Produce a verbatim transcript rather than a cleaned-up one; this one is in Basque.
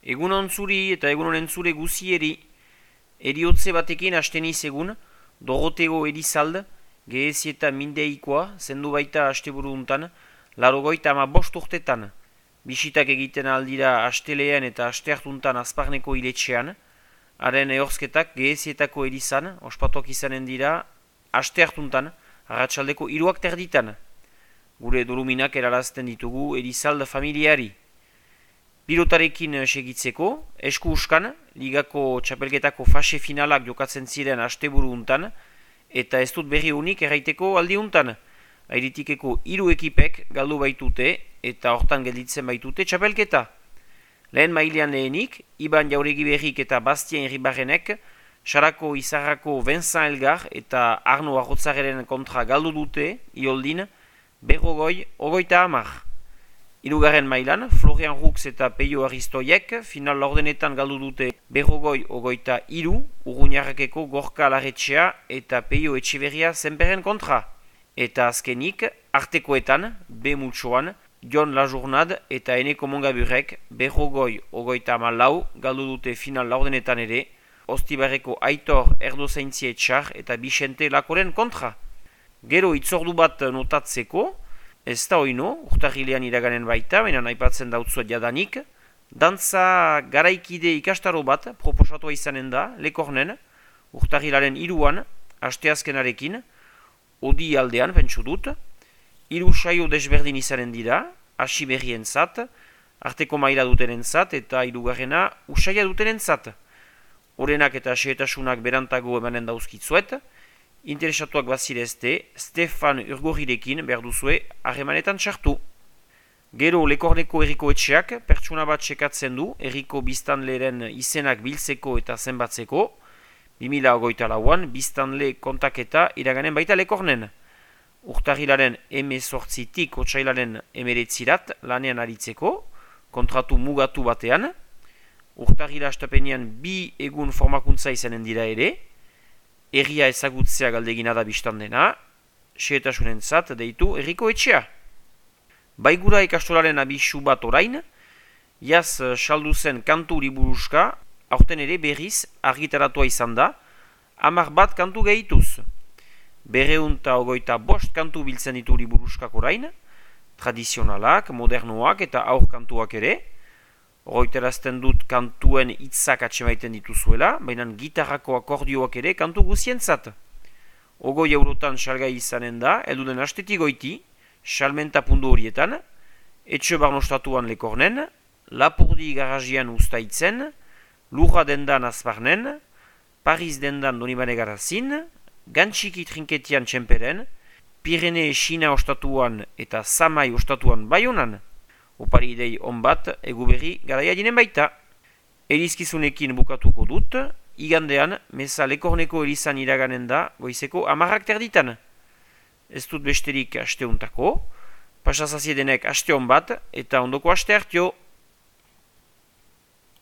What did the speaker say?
Egun ontzuri eta egun onentzure guzieri, eriotze batekin asteniz egun, Dorotego Elizalde, gehezieta mindeikoa, zendu baita asteburu untan, larogoita ama bost urtetan, bisitak egiten aldira astelean eta asteartuntan azparneko iletxean, haren ehorzketak gehezietako Elizan, ospatuak izanen dira, asteartuntan, arratsaldeko hiruak terditan. Gure doluminak erarazten ditugu Elizalde familiari. Pilotarekin segitzeko, esku uskan, ligako txapelketako fase finalak jokatzen ziren asteburu untan, eta ez dut berri unik erraiteko aldi untan. Airitikeko hiru ekipek galdu baitute eta hortan gelditzen baitute txapelketa. Lehen mailean lehenik, Iban Jauregi Berrik eta Bastien Irribarrenek, Sarako Izarrako Vincent Elgar eta Arno Arrotzarren kontra galdu dute, ioldin, berrogoi, ogoita hamar. Hirugarren mailan, Florian Rux eta Peio Aristoiek final laurdenetan galdu dute berrogoi ogoita hiru, Urruñarrakeko Gorka Larretxea eta Peio Etxeberria zenperren kontra. Eta azkenik, artekoetan, B multsoan, Jon Lajournad eta Eneko Mongaburek berrogoi ogoita hamalau galdu dute final laurdenetan ere, Ostibarreko Aitor Erdozaintzie Etxar eta Bixente Lakoren kontra. Gero itzordu bat notatzeko, ez da oino, urtarrilean iraganen baita, baina aipatzen dautzuet jadanik, dantza garaikide ikastaro bat proposatua izanen da, Lekornen, urtarrilaren hiruan, asteazkenarekin, odi aldean, pentsu dut, hiru saio desberdin izanen dira, hasi berrien zat, arteko maila dutenen zat, eta hirugarrena usaia dutenen zat. Horenak eta xehetasunak berantago emanen dauzkitzuet, interesatuak bazirezte, Stefan Urgorirekin behar duzue harremanetan txartu. Gero Lekorneko Herriko Etxeak pertsuna bat sekatzen du Herriko biztanleren izenak biltzeko eta zenbatzeko, bi mila hogeita lauan biztanle kontaketa iraganen baita Lekornen. Urtarrilaren hemezortzitik otsailaren hemeretzirat lanean aritzeko, kontratu mugatu batean, urtarrila astapenean bi egun formakuntza izanen dira ere, herria ezagutzea galdegina da biztan dena, xehetasunentzat deitu Herriko Etxea. Baigura ikastolaren abisu bat orain, jaz saldu zen kantu liburuska, aurten ere berriz argitaratua izan da, hamar bat kantu gehituz. Berreunta ogoita bost kantu biltzen ditu liburuskak orain, tradizionalak, modernoak eta aur kantuak ere, Roiterazten dut kantuen hitzak atsemaiten dituzuela, baina gitarrako akordioak ere kantu guzientzat. Ogoi eurotan salgai izanen da, elduden astetik goiti, salmenta pundu horietan, etxe barnostatuan Lekornen, Lapurdi garajian ustaitzen, Lurra dendan azparnen, Paris dendan Donibane garazin, Gantxiki trinketian txemperen, Pirene Xina ostatuan eta Samai ostatuan baionan. Opari idei onbat, eguberri garaia dinen baita. Erizkizunekin bukatuko dut, igandean, meza Lekorneko Elizan iraganen da, goizeko amarrak terditan. Ez dut besterik asteuntako, pasazaziedenek aste onbat, eta ondoko aste hartio.